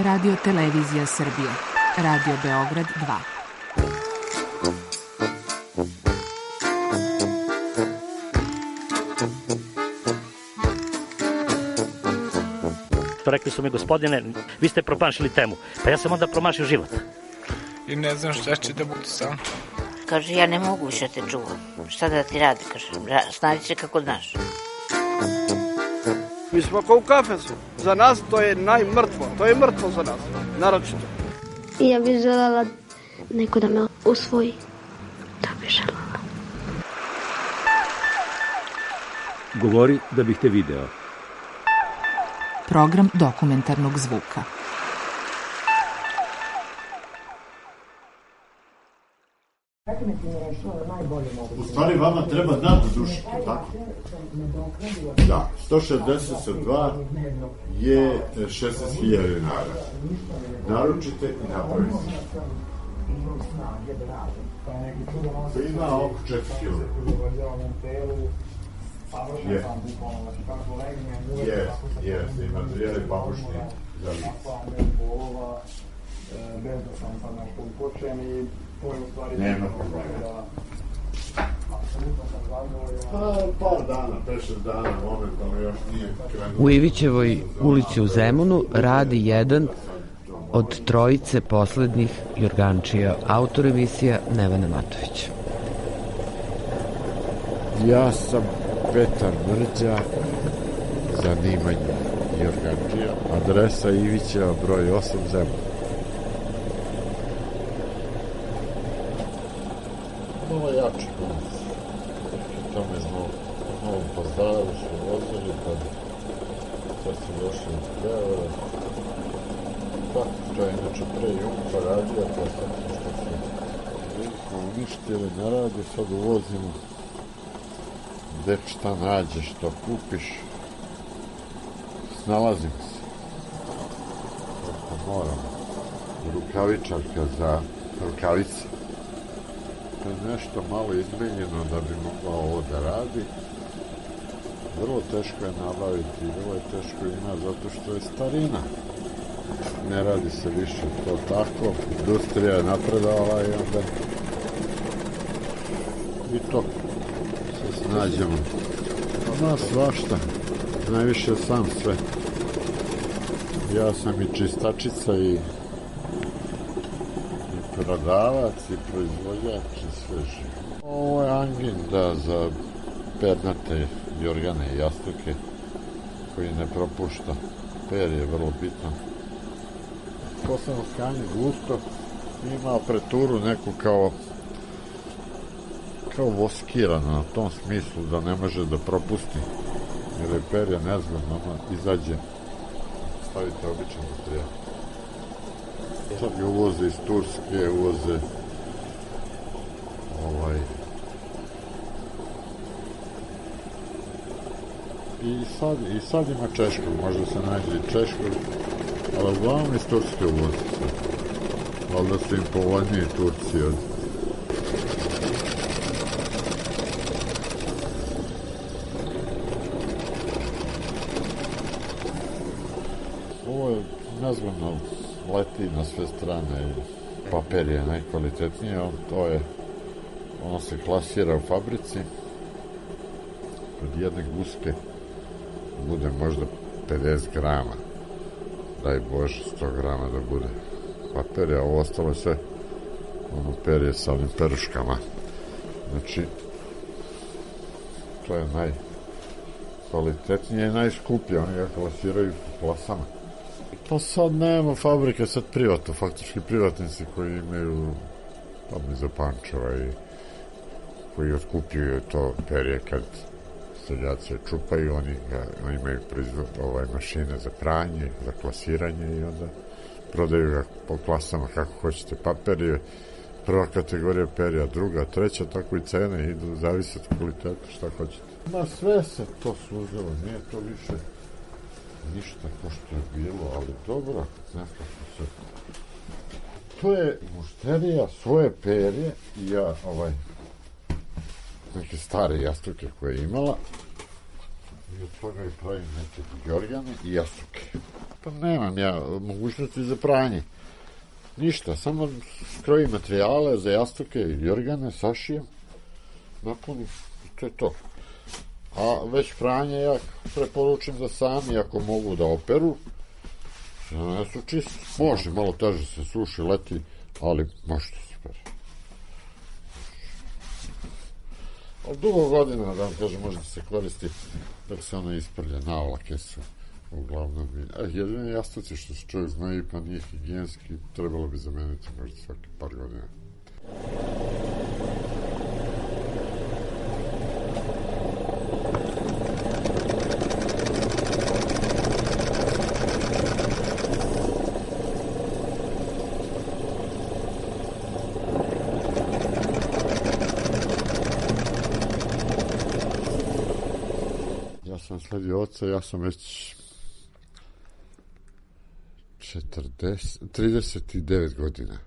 Radio Televizija Srbije. Radio Beograd 2. Rekli su mi, gospodine, vi ste promašili temu. Pa ja sam onda promašio život. I ne znam šta će da bude sam. Kaže, ja ne mogu više te čuvam. Šta da ti radi, kaže, snađi se kako znaš. Mi smo kao u kafesu. Za nas to je najmrtvo. To je mrtvo za nas, naročito. I ja bih želela neko da me usvoji. To bih želela. Govori da bih te video. Program dokumentarnog zvuka. U stvari vama treba naddušiti, tako? Da, 162 je 16.000 dinara. Naručite i napravite. To ima oko 4 kg. Je, i materijali pamučni za lice. Nema problema. Par dana, 5-6 dana, momentalno još nije krenuo. U Ivićevoj ulici u Zemunu radi jedan od trojice poslednjih jorgančija, autor emisija Nevena Matović. Ja sam Petar Mrđa, zanimanje jorgančija, adresa Ivićeva, broj 8, Zemun. Malo jači konac. Tamo je u Novom Pazaru su vozili, pa sad su došli u Beograd. Tako, to je inače pre Jumpa radija, pa sad što su uništili, ne radi, sad uvozimo gde šta nađeš, što kupiš. Snalazimo se. Tako moramo. Rukavičarka za rukavice. To je nešto malo izmenjeno da bi mogla ovo da radi. Vrlo teško je nabaviti, vrlo je teško ima zato što je starina. Ne radi se više to tako. Industrija je napredovala i onda i to se snađemo. Ma svašta. Najviše sam sve. Ja sam i čistačica i prodavac i proizvođač i sve živo. Ovo je angin, da, za pernate jorgane i jastuke koji ne propušta. Per je vrlo bitno. Posebno skanje gusto ima apreturu neku kao voskirano na tom smislu da ne može da propusti. Jer je per je nezgodno, izađe, stavite običan materijal. Sad ga uvoze iz Turske, uvoze i sad ima češkog, možda se nađe i češkog, ali uglavnom iz Turske uvoze se. Valjda su im povoljniji Turci od... Ovo je nezgodno, leti na sve strane, papir je najkvalitetnije, ono se klasira u fabrici, od jedne guske bude možda 50 grama, daj Bože 100 grama da bude papir, a ovo ostalo je sve ono perje sa ovim peruškama, znači to je najkvalitetnije i najskuplje, oni ga klasiraju po klasama. Pa sad nema fabrike, sad privatno, faktički privatnici koji imaju tamo iza Pančeva i koji otkupljuju to perje kad seljaci čupaju, oni imaju mašine za pranje, za klasiranje i onda prodaju ga po klasama kako hoćete. Papir je prva kategorija perja, druga, treća, tako i cene idu, zavisi od kvaliteta, šta hoćete. Ma sve se to služilo, nije to više ništa ko što je bilo, ali dobro, nekako se... To je mušterija svoje perje i ja neke stare jastuke koje je imala i od toga i pravim neke jorgane i jastuke. Pa nemam ja mogućnosti za pranje. Ništa, samo krojim materijale za jastuke i jorgane, sašijem, napunim i to je to. A već pranje ja preporučim da sami, ako mogu da operu, ne su čisto. Može, malo teže se suši, leti, ali može da se pere. Ali dugo godina, da vam kažem, može da se koristi dok se ona isprlja, navlake su uglavnom. Jedine jastuci što se čovjek znoji, pa nije higijenski, trebalo bi zameniti možda svaki par godina. Ja sam sledio oca, ja sam već 39 godina.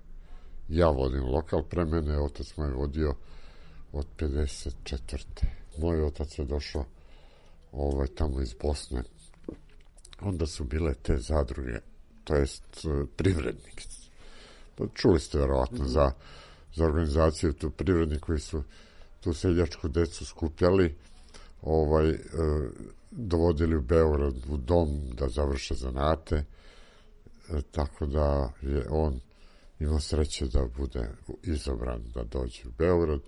Ja vodim lokal, pre mene otac moj vodio od 54. Moj otac je došao tamo iz Bosne. Onda su bile te zadruge, to jest privrednik. Čuli ste verovatno za organizaciju tu privrednik koji su tu seljačku decu skupljali, dovodili u Beograd u dom da završe zanate, tako da je on imao sreće da bude izabran da dođe u Beograd,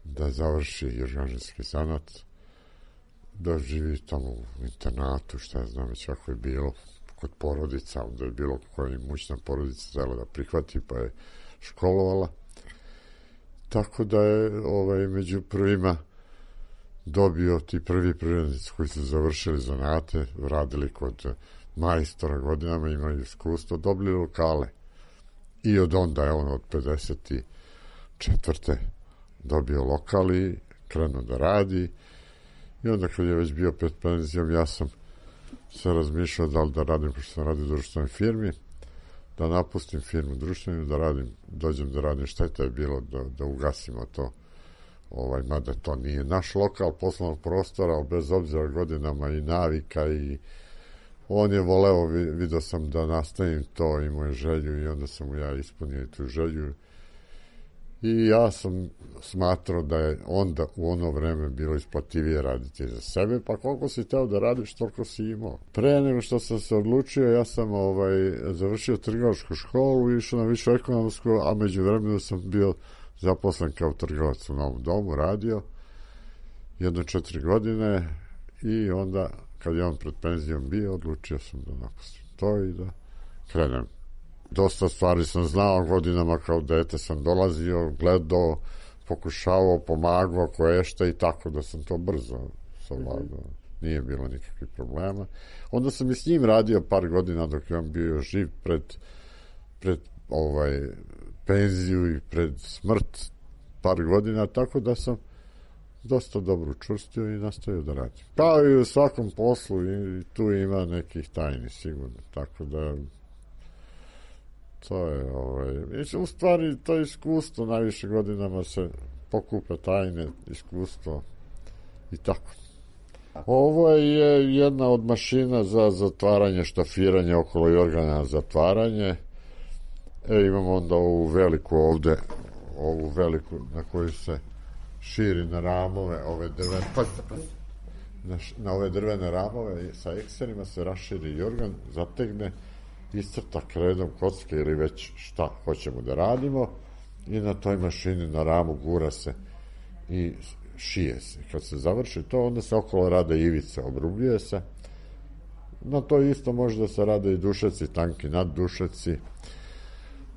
da završi jorganski zanat, da živi tamo u internatu, šta ja znam već kako je bilo, kod porodica, onda je bilo koja imućna porodica htjela da prihvati, pa je školovala. Tako da je među prvima dobio ti prvi privrednici koji su završili zanate, radili kod majstora godinama, imaju iskustvo, dobili lokale. I od onda je on od 54. dobio lokal i krenuo da radi. I onda kad je već bio pred penzijom, ja sam se razmišljao da li da radim, pošto sam radio u društvenoj firmi, da napustim firmu društvenu, dođem da radim, šteta je bilo da ugasimo to. Mada to nije naš lokal poslovnog prostora, ali bez obzira godinama i navika i on je voleo, vidio sam da nastavim to, imao je želju i onda sam mu ja ispunio tu želju i ja sam smatrao da je onda u ono vreme bilo isplativije raditi za sebe, pa koliko si teo da radiš, toliko si imao. Pre nego što sam se odlučio, ja sam završio trgovačku školu i išao na višu ekonomsku, a među vremenu sam bio zaposlen kao trgovac u Novom domu, radio 4 godine i onda kad je on pred penzijom bio, odlučio sam da napustim to i da krenem. Dosta stvari sam znao godinama, kao dete sam dolazio, gledao, pokušavao, pomagao, koješta i tako da sam to brzo savladao. Nije bilo nikakvih problema. Onda sam i s njim radio par godina dok je on bio živ pred penziju i pred smrt par godina, tako da sam dosta dobro učvrstio i nastavio da radim. Kao i u svakom poslu i tu ima nekih tajni sigurno, tako da to je u stvari to iskustvo, najviše godinama se pokupa tajne, iskustvo i tako. Ovo je jedna od mašina za zatvaranje, štafiranje okolo jorgana, zatvaranje. Imamo onda ovu veliku ovde, ovu veliku na koju se širi na ramove, ove drvene, na ove drvene ramove sa ekserima se raširi jorgan, zategne, iscrta kredom kocke ili već šta hoćemo da radimo i na toj mašini na ramu gura se i šije se. Kad se završi to, onda se okolo rade ivice, obrubljuje se. Na to isto može da se rade i dušeci, tanki naddušeci,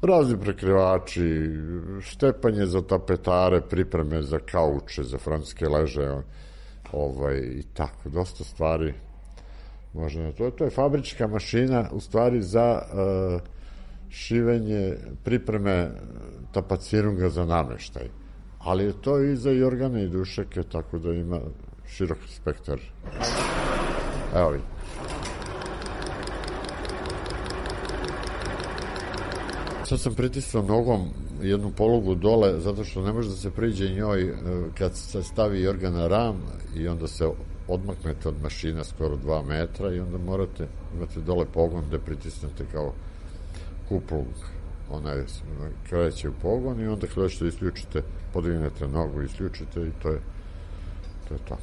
razni prekrivači, štepanje za tapetare, pripreme za kauče, za francuske leže, i tako, dosta stvari može na to. To je fabrička mašina, u stvari za šivenje, pripreme tapacirunga za nameštaj. Ali je to i za jorgane i dušeke, tako da ima širok spektar. Evo vidite. Sad sam pritisnuo nogom jednu polugu dole, zato što ne može da se priđe njoj kad se stavi jorgan na ram i onda se odmaknete od mašina skoro 2 metra i onda imate dole pogon gde pritisnete kao kupol, onaj kreće u pogon i onda kada ćete isključite, podignete nogu, isključite i to je to.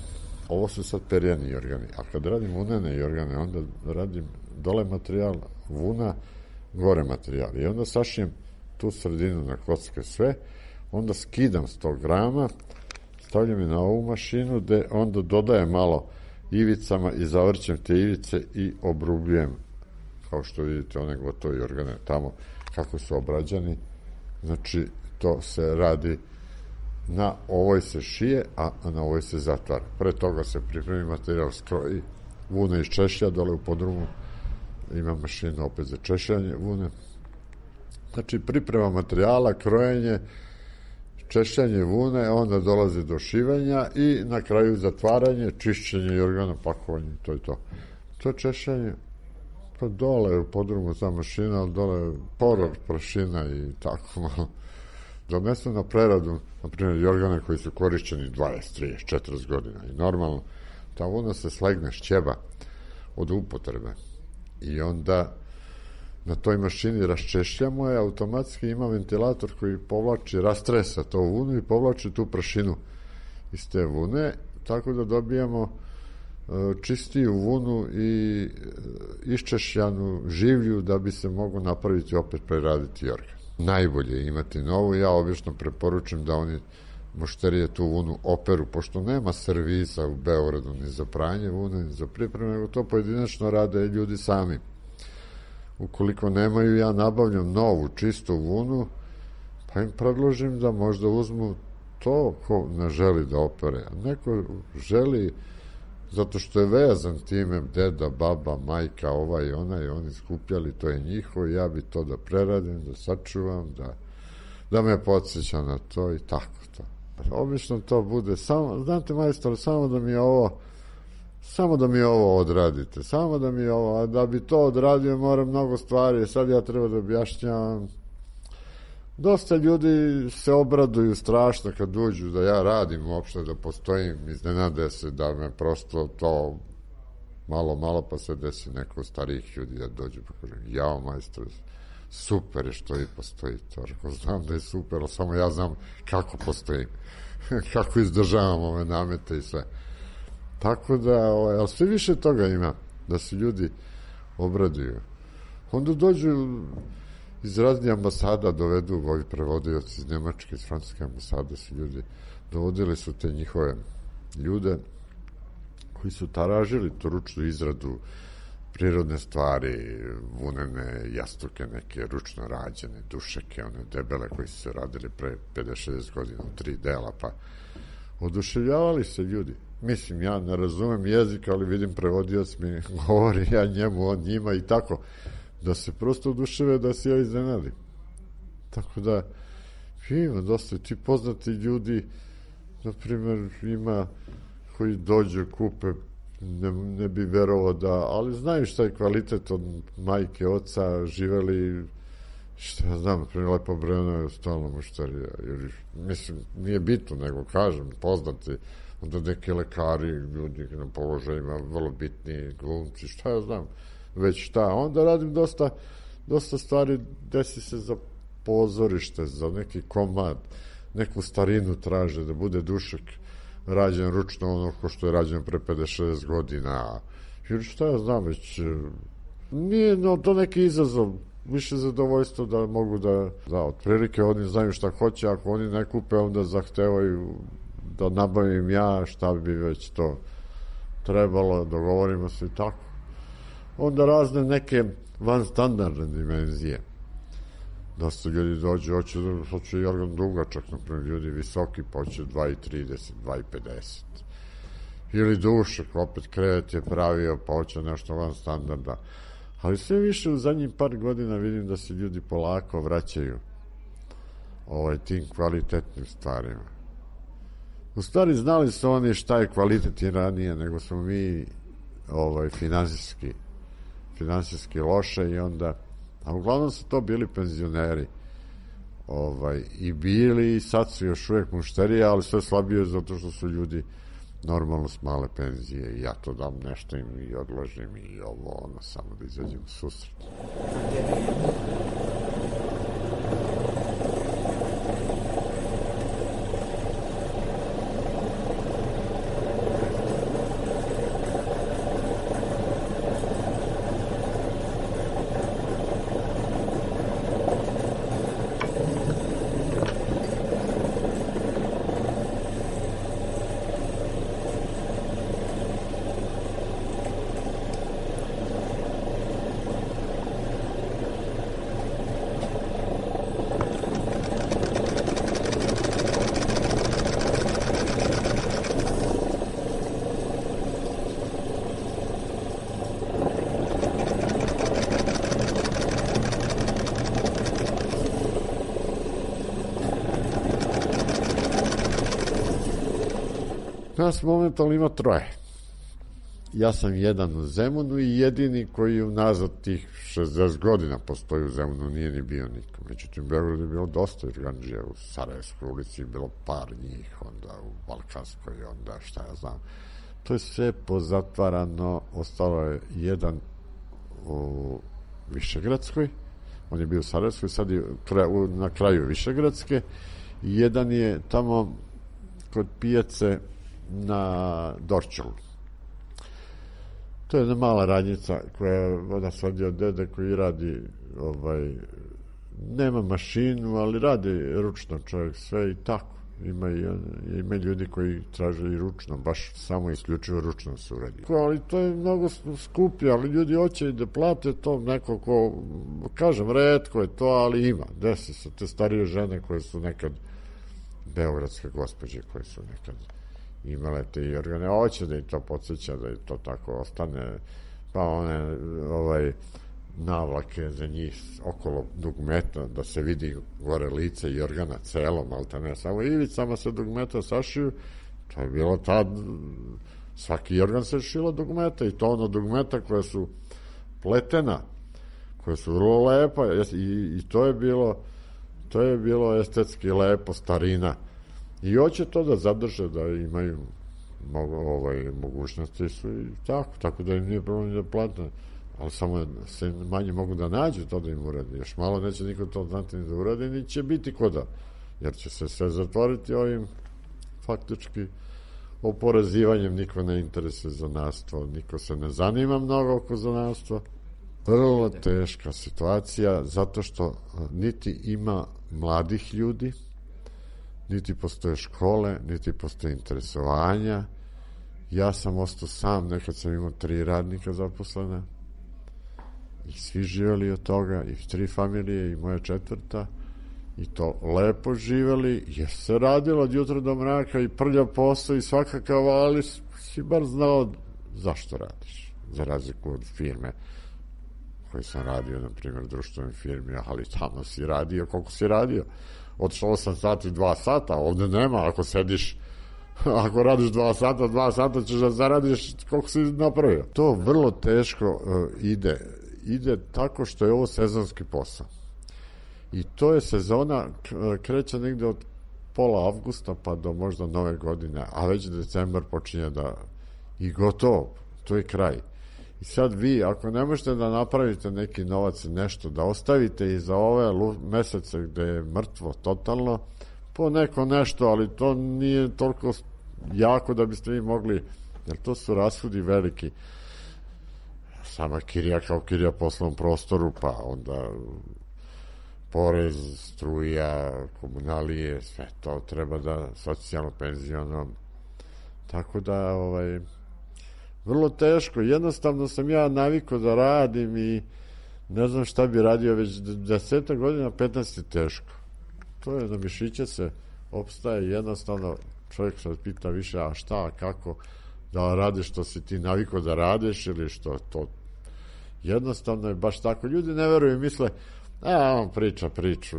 Ovo su sad perjani jorgani, a kad radim vunene jorgane, onda radim dole materijal, vuna, gore materijal i onda sašijem tu sredinu na kocke sve, onda skidam 100 grama, stavljam je na ovu mašinu gde onda dodajem malo ivicama i zavrćem te ivice i obrubljujem, kao što vidite one gotovi organe tamo kako su obrađani. Znači to se radi, na ovoj se šije, a na ovoj se zatvara. Pre toga se pripremi materijal, skroji vune iz češlja, dole u podrumu ima mašina opet za češljanje vune. Znači priprema materijala, krojenje, češljanje vune, onda dolazi do šivanja i na kraju zatvaranje, čišćenje i organa, pakovanje, to je to. To češljanje, pa dole u podrumu ta mašina, ali dole poror, prašina i tako malo. Donesu na preradu, na primjer, jorgane koji su korišćeni 20, 30, 40 godina i normalno ta vuna se slegne, šćeba od upotrebe i onda na toj mašini raščešljamo je, automatski ima ventilator koji povlači, rastresa to vunu i povlači tu prašinu iz te vune, tako da dobijamo čistiju vunu i iščešljanu življu da bi se mogu napraviti opet preraditi jorgan. Najbolje je imati novu, ja obično preporučujem da oni mušterije tu vunu operu, pošto nema servisa u Beogradu ni za pranje vune, ni za pripremu, nego to pojedinačno rade ljudi sami. Ukoliko nemaju, ja nabavljam novu, čistu vunu, pa im predložim da možda uzmu to ko ne želi da opere. A neko želi, zato što je vezan time, deda, baba, majka, ovaj i onaj, oni skupljali, to je njihovo, ja bi to da preradim, da sačuvam, da me podsjeća na to i tako to. Obično to bude samo, znate majstor, samo da mi ovo odradite, samo da mi ovo, a da bi to odradio moram mnogo stvari, sad ja treba da objašnjavam. Dosta ljudi se obraduju strašno kad uđu da ja radim uopšte, da postojim, iznenade se da me prosto to malo pa se desi neko starijih ljudi da dođu pa kažem, jao majstor, super je što vi postojite, ako znam da je super, ali samo ja znam kako postojim, kako izdržavam ove namete i sve. Tako da, ali sve više toga ima, da se ljudi obraduju. Onda dođu iz raznih ambasada, dovedu ovi prevodioci iz Nemačke, iz Francuske ambasade, su ljudi, dovodili su te njihove ljude koji su taražili tu ručnu izradu, prirodne stvari, vunene jastuke, neke ručno rađene, dušeke, one debele koji su se radili pre 50-60 godina u 3 dela, pa oduševljavali se ljudi. Mislim, ja ne razumem jezik, ali vidim prevodioc mi govori, ja njemu, on njima i tako, da se prosto oduševe, da se ja iznenadim. Tako da, ima dosta ti poznati ljudi, na primjer, ima koji dođu, kupe, ne bi verovao da, ali znaju šta je kvalitet od majke, oca, živeli, šta ja znam, primjer, Lepo Breno je stalno mušterija, jer, mislim, nije bitno, nego kažem, poznati, onda neki lekari, ljudi na položajima, vrlo bitni glumci, šta ja znam, već šta, onda radim dosta stvari, desi se za pozorište, za neki komad, neku starinu traže, da bude dušek rađen ručno, ono ko što je rađen pre 50-60 godina, jer šta ja znam, već nije to neki izazov, više zadovoljstvo da mogu da otprilike oni znaju šta hoće, ako oni ne kupe, onda zahtevaju da nabavim ja, šta bi već to trebalo, dogovorimo se i tako. Onda razne neke vanstandardne dimenzije. Dosta ljudi dođu, hoće jorgan dugačak, naprimjer, ljudi visoki, pa hoće 2,30, 2,50. Ili dušek, opet krevet je pravio, pa hoće nešto vanstandarda. Ali sve više u zadnjih par godina vidim da se ljudi polako vraćaju tim kvalitetnim stvarima. U stvari znali su oni šta je kvalitet i ranije, nego smo mi finansijski loše i onda, a uglavnom su to bili penzioneri i bili i sad su još uvek mušterije, ali sve slabije zato što su ljudi normalno s male penzije i ja to dam nešto im i odložim i ovo, ono, samo da izađem u susret. Nas momentalno ima 3. Ja sam jedan u Zemunu i jedini koji unazad tih 60 godina postoji u Zemunu, nije ni bio niko. Međutim, u Beogradu je bilo dosta organdžija, u Sarajevskoj ulici je bilo par njih, onda u Balkanskoj, onda šta ja znam. To je sve pozatvarano, ostalo je jedan u Višegradskoj, on je bio u Sarajevskoj, sad je na kraju Višegradske, i jedan je tamo kod pijace na Dorčelu. To je jedna mala radnjica koja voda svadi od dede koji radi nema mašinu, ali radi ručno čovjek sve i tako. Ima ljudi koji traže i ručno, baš samo isključivo ručno se uradi. Ali to je mnogo skuplje, ali ljudi hoće i da plate to, neko ko, kažem, retko je to, ali ima. Desi se te starije žene koje su nekad beogradske gospođe koje su nekad imale te i organe, hoće da i to podsjeća, da i to tako ostane, pa one navlake za njih okolo dugmeta, da se vidi gore lice i organa celo, malta ne samo ivicama se dugmeta sašiju, to je bilo tad, svaki organ se šilo dugmeta i to ono dugmeta koja su pletena, koja su vrlo lepa i to je bilo estetski lepo, starina. I hoće to da zadrže, da imaju mogućnosti su i tako da im nije problem da plate, ali samo se manje mogu da nađu to da im uradi. Još malo neće niko to znati ni da uradi, ni će biti koda, jer će se sve zatvoriti ovim faktički oporezivanjem, niko ne interesuje zanatstvo, niko se ne zanima mnogo oko zanatstva. Vrlo teška situacija, zato što niti ima mladih ljudi, niti postoje škole, niti postoje interesovanja. Ja sam ostao sam, nekad sam imao 3 radnika zaposlena i svi živeli od toga, i 3 familije i moja 4. i to lepo živeli, jer se radilo od jutra do mraka i prlja posao i svakakav, ali si bar znao zašto radiš, za razliku od firme koji sam radio, na primjer, društvenim firmi, ali tamo si radio, koliko si radio? Od 8 sati, 2 sata, ovde nema, ako sediš, ako radiš 2 sata ćeš da zaradiš koliko si napravio. To vrlo teško ide tako što je ovo sezonski posao. I to je sezona, kreće negde od pola avgusta pa do možda nove godine, a već decembar počinje i gotovo, to je kraj. I sad vi, ako ne možete da napravite neki novac, nešto, da ostavite i za ove mesece gde je mrtvo totalno, po neko nešto, ali to nije toliko jako da biste vi mogli, jer to su rashodi veliki. Sama kirija kao kirija poslovnom prostoru, pa onda porez, struja, komunalije, sve to treba da socijalno, penziono, tako da vrlo teško, jednostavno sam ja navikao da radim i ne znam šta bi radio već 10 godina, 15 je teško. To je, na mišiće se opstaje, jednostavno čovjek se pita više, a šta, a kako, da radiš što si ti navikao da radiš ili što to, jednostavno je baš tako. Ljudi ne veruju, misle, on priča priču,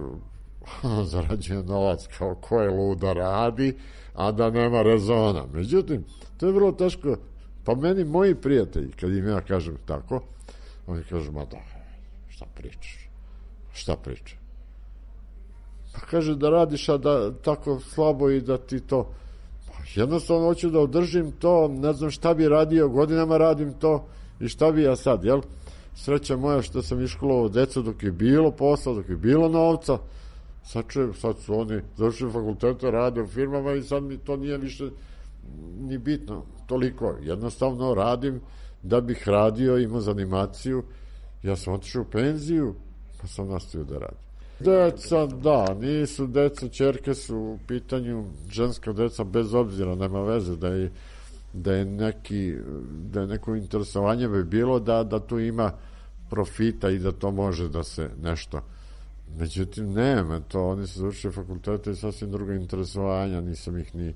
on zarađuje novac kao ko je luda radi, a da nema rezona. Međutim, to je vrlo teško. Pa meni moji prijatelji, kad im ja kažem tako, oni kažu, ma da, šta pričaš? Pa kaže da radiš, a da tako slabo i da ti to, pa jednostavno hoću da održim to, ne znam šta bi radio, godinama radim to i šta bi ja sad, jel? Sreća moja što sam iškolovao decu dok je bilo posla, dok je bilo novca, sad su oni završili fakultete, rade u firmama i sad mi to nije više ni bitno, toliko. Jednostavno radim da bih radio, imao za animaciju. Ja sam otišao u penziju, pa sam nastavio da radim. Deca, da, nisu deca, ćerke su u pitanju, ženska deca, bez obzira, nema veze da je neko interesovanje bi bilo da tu ima profita i da to može da se nešto. Međutim, nema to, oni su završili fakultete i sasvim drugo interesovanja, nisam ih ni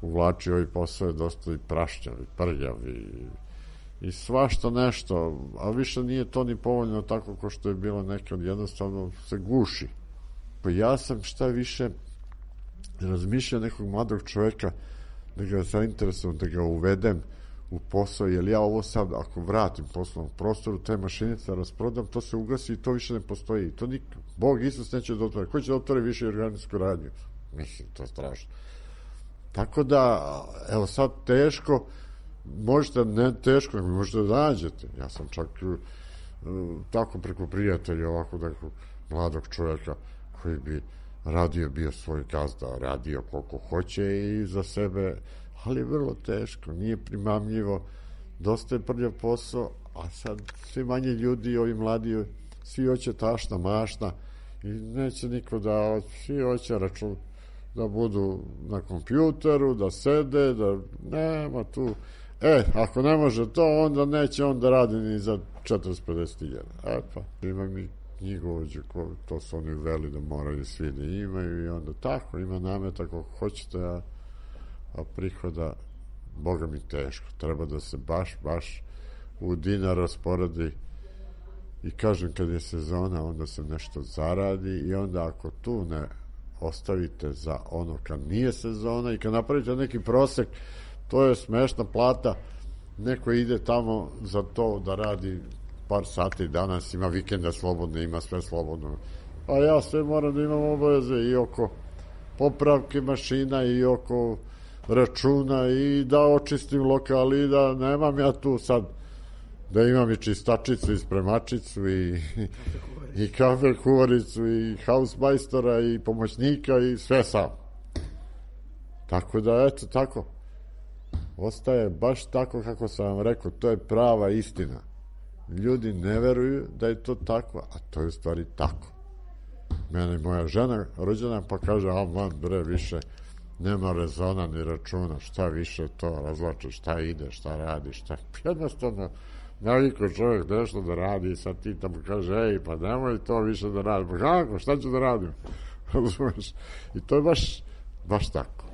uvlačio, ovaj posao je dosta i prašćav i prljav i svašta nešto, a više nije to ni povoljno tako ko što je bilo nekad, jednostavno se guši. Pa ja sam šta više razmišljao nekog mladog čoveka da ga zainteresujem, da ga uvedem u posao, jer ja ovo sad, ako vratim poslovnom prostoru, te mašinice rasprodam, to se ugasi i to više ne postoji. To Bog Isus neće da otvore. Ko će da otvore više organsku radnju? Mislim, to je strašno. Tako da, evo sad teško, možete, ne teško, nego možete da nađete. Ja sam čak tako preko prijatelja ovako nekog mladog čovjeka koji bi radio, bio svoj gazda, radio koliko hoće i za sebe, ali vrlo teško, nije primamljivo, dosta je prljav posao, a sad svi manje ljudi, ovi mladi, svi hoće tašna, mašna i neće niko da, svi hoće račun da budu na kompjuteru, da sede, da nema tu. Ako ne može to, onda neće on da radi ni za 40-50 hiljada. Pa, ima mi knjigovođe, to su oni uveli da moraju svi da imaju i onda tako, ima nameta kako hoćete, a prihoda, Boga mi teško. Treba da se baš u dinar rasporedi i kažem, kad je sezona, onda se nešto zaradi i onda ako tu ne ostavite za ono kad nije sezona i kad napravite neki prosek, to je smešna plata, neko ide tamo za to da radi par sati, danas ima vikenda slobodne, ima sve slobodno, a ja sve moram da imam obaveze i oko popravke mašina i oko računa i da očistim lokal i da nemam ja tu sad da imam i čistačicu i spremačicu i kafe kuvaricu i hausmajstora i pomoćnika i sve sam. Tako da, eto, tako. Ostaje baš tako kako sam vam rekao, to je prava istina. Ljudi ne veruju da je to tako, a to je u stvari tako. Mene moja žena rođena pa kaže, man bre, više nema rezona ni računa, šta više to razlače, šta ide, šta radi, šta... Jednostavno, naliko čovjek nešto da radi i sad ti tamo kaže, pa nemoj to više da radi. Pa kako, šta ću da radim? Razumeš? I to je baš tako.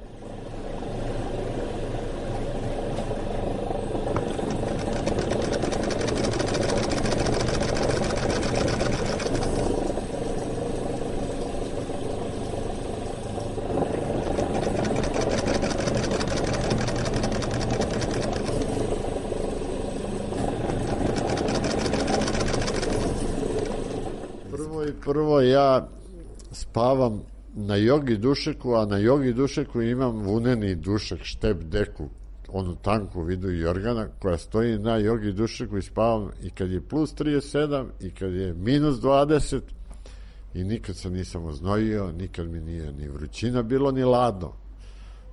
Prvo ja spavam na jogi dušeku, a na jogi dušeku imam vuneni dušek, štep deku, onu tanku vidu jorgana koja stoji na jogi dušeku i spavam i kad je plus 37 i kad je minus 20 i nikad se nisam oznojio, nikad mi nije ni vrućina bilo ni ladno.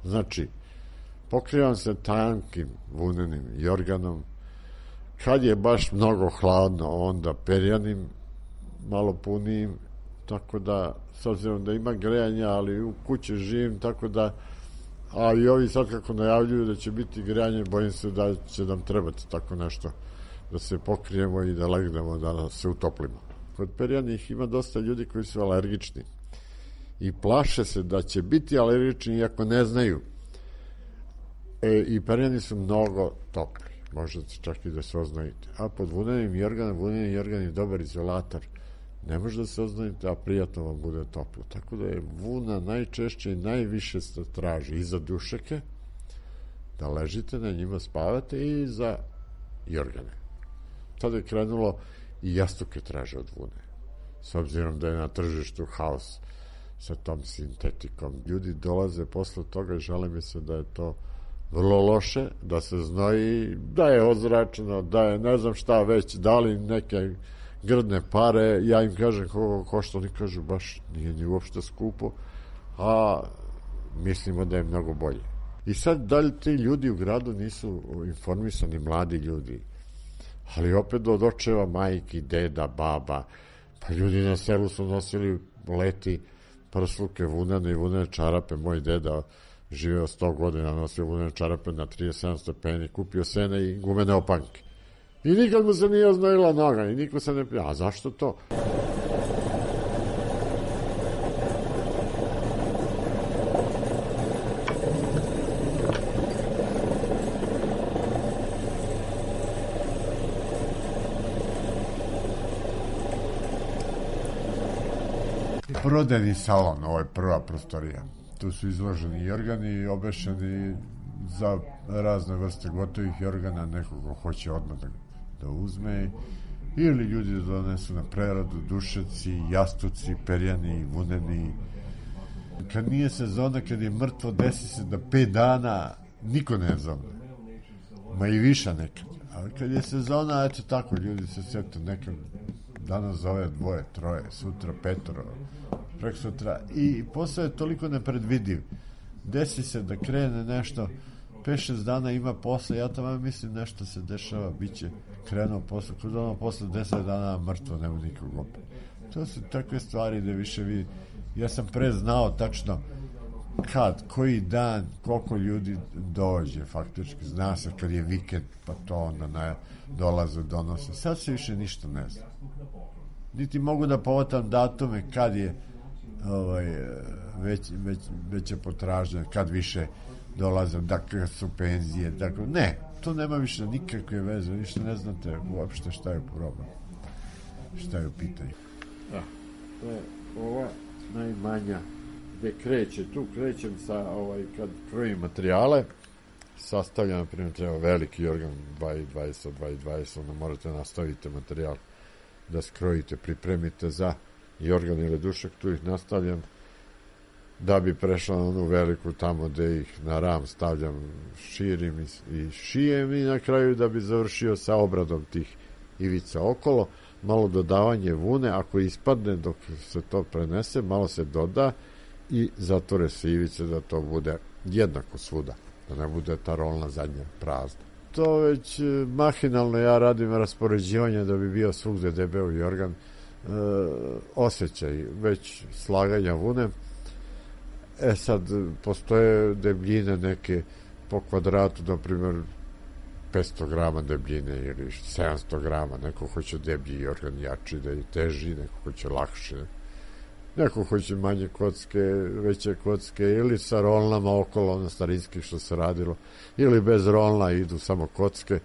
Znači, pokrivam se tankim vunenim jorganom, kad je baš mnogo hladno onda perjanim malo punijim, tako da s obzirom da ima grejanja, ali u kući živim, tako da, a i ovi sad kako najavljuju da će biti grejanje, bojim se da će nam trebati tako nešto, da se pokrijemo i da legnemo, da se utoplimo. Kod perjanih ima dosta ljudi koji su alergični i plaše se da će biti alergični iako ne znaju. I perjani su mnogo topli, možete čak i da se oznojite. A pod vunenim jorgan je dobar izolator. Ne može da se oznojite, a prijatno vam bude toplo. Tako da je vuna najčešće i najviše se traži i za dušeke, da ležite na njima, spavate, i za jorgane. Tada je krenulo i jastuke traže od vune. S obzirom da je na tržištu haos sa tom sintetikom. Ljudi dolaze posle toga i žele mi se da je to vrlo loše, da se znoji, da je ozračeno, da je ne znam šta već, dali neke grdne pare, ja im kažem koliko košta, oni kažu baš nije ni uopšte skupo, a mislimo da je mnogo bolje. I sad da li ti ljudi u gradu nisu informisani, mladi ljudi, ali opet od očeva, majki, deda, baba, pa ljudi na selu su nosili leti prsluke, vunene i vunene čarape, moj deda živeo 100 godina, nosio vunene čarape na 37 stepeni, kupio sene i gumene opanke. I nikad mu se nije oznojila noga i niko se ne... A zašto to? Prodajni salon, ovo je prva prostorija. Tu su izloženi jorgani, obešeni za razne vrste gotovih jorgana, neko ko hoće odmah da uzme, ili ljudi da donesu na preradu, dušeci, jastuci, perjani, vuneni. Kad nije sezona, kad je mrtvo, desi se da 5 dana niko ne zove. Ma i viša nekad. Ali kad je sezona, eto tako, ljudi se sjete, nekad danas zove 2, 3, sutra 5, prek sutra. I posao je toliko nepredvidiv. Desi se da krene nešto, 5-6 dana ima posle, ja tamo mislim nešto se dešava, bit će krenuo posle, kod ono posle 10 dana mrtvo, nema nikog opet. To su takve stvari da više vi, ja sam pre znao tačno kad, koji dan, koliko ljudi dođe, faktički, zna se kad je vikend, pa to onda dolaze, donose. Sad se više ništa ne zna. Niti mogu da povatam datume kad je veća potražnja, kad više dolaze, dakle su penzije, dakle, ne, to nema više nikakve veze, ništa ne znate uopšte šta je problem, šta je u pitanju. Da, to je ova najmanja gde kreće, tu krećem sa kad krojim materijale, sastavljam, na primjer, treba veliki jorgan 2,20, 2,20, onda morate nastaviti materijal da skrojite, pripremite za jorgan ili dušak, tu ih nastavljam da bi prešla na onu veliku tamo gde ih na ram stavljam, širim i šijem i na kraju da bi završio sa obradom tih ivica okolo, malo dodavanje vune, ako ispadne dok se to prenese, malo se doda i zatvore se ivice da to bude jednako svuda, da ne bude ta rolna zadnja prazna. To već mahinalno ja radim raspoređivanje da bi bio svugde debeo jorgan, osjećaj već slaganja vune. Sad postoje debljine neke po kvadratu, na primjer 500 grama debljine ili 700 grama, neko hoće deblji jorgan jači da je teži, neko hoće lakše, neko hoće manje kocke, veće kocke, ili sa rolnama okolo, ono starinskih što se radilo, ili bez rolna idu samo kocke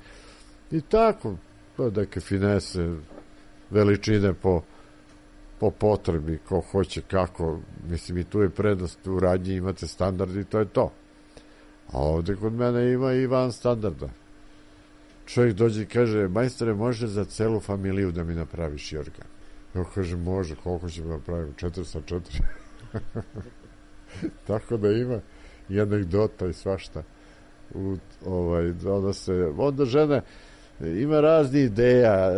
i tako, neke finese, veličine po potrebi, ko hoće kako, mislim i tu je prednost u radnji, imate standard i to je to. A ovde kod mene ima i van standarda. Čovjek dođe i kaže, majstore, može za celu familiju da mi napraviš jorgan? Ja kažem, može, koliko ćemo napraviti? 4 sa 4. Tako da ima i anegdota i svašta. Onda žena ima razne ideja.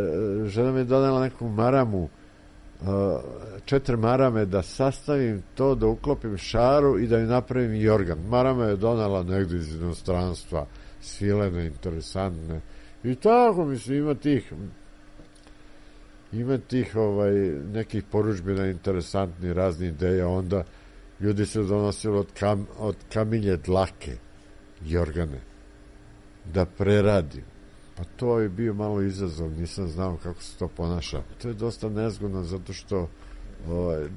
Žena mi je donela neku maramu, 4 marame da sastavim to, da uklopim šaru i da mi napravim jorgan. Marama je donela negdje iz inostranstva, svilene, interesantne. I tako, mislim, ima tih nekih poručbina interesantnih, raznih ideja. Onda ljudi se donosili od kamilje dlake jorgane da preradim. Pa to je bio malo izazov, nisam znao kako se to ponaša. To je dosta nezgodno zato što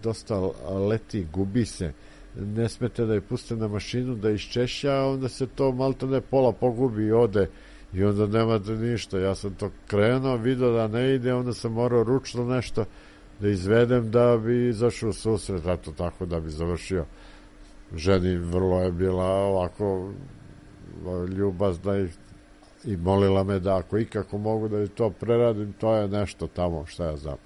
dosta leti, gubi se. Ne smete da je puste na mašinu da iščeša, a onda se to maltene pola pogubi i ode i onda nemate ništa. Ja sam to krenuo, vidio da ne ide, onda sam morao ručno nešto da izvedem da bi izašao u susret, eto tako da bi završio. Ženi vrlo je bila ovako ljubazna i molila me da ako ikako mogu da to preradim, to je nešto tamo, šta ja znam.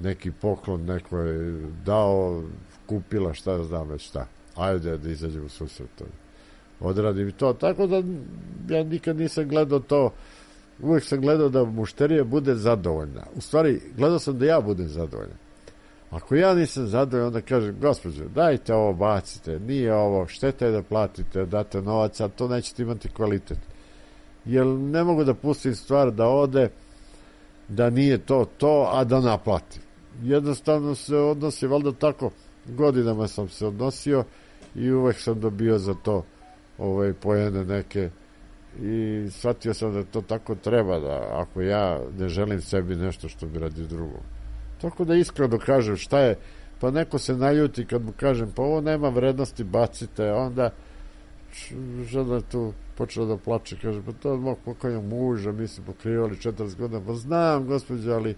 neki poklon, neko je dao, kupila, šta znam već šta. Ajde da izađem u susret. Odradim to. Tako da ja nikad nisam gledao to. Uvijek sam gledao da mušterija bude zadovoljna. U stvari, gledao sam da ja budem zadovoljan. Ako ja nisam zadovoljan, onda kažem, gospođo, dajte ovo, bacite, nije ovo, šteta je da platite, date novac, a to nećete imati kvalitet. Jer ne mogu da pustim stvar da ode, da nije to, a da naplati. Jednostavno se odnosi, valjda tako, godinama sam se odnosio i uvek sam dobio za to poene neke i shvatio sam da to tako treba, da ako ja ne želim sebi nešto što bi radi drugo. Tako da iskreno kažem šta je, pa neko se naljuti kad mu kažem pa ovo nema vrednosti, bacite, onda žena tu počela da plače, kaže pa to od mog pokojnog muža, mi se pokrivali 40 godina, pa znam gospođo, ali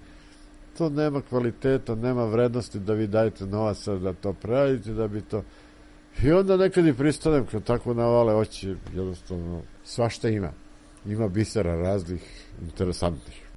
to nema kvaliteta, nema vrednosti da vi dajete novaca da to preradite, da bi to... I onda nekad i pristanem kad tako navale oči, jednostavno svašta ima. Ima bisera raznih interesantnih.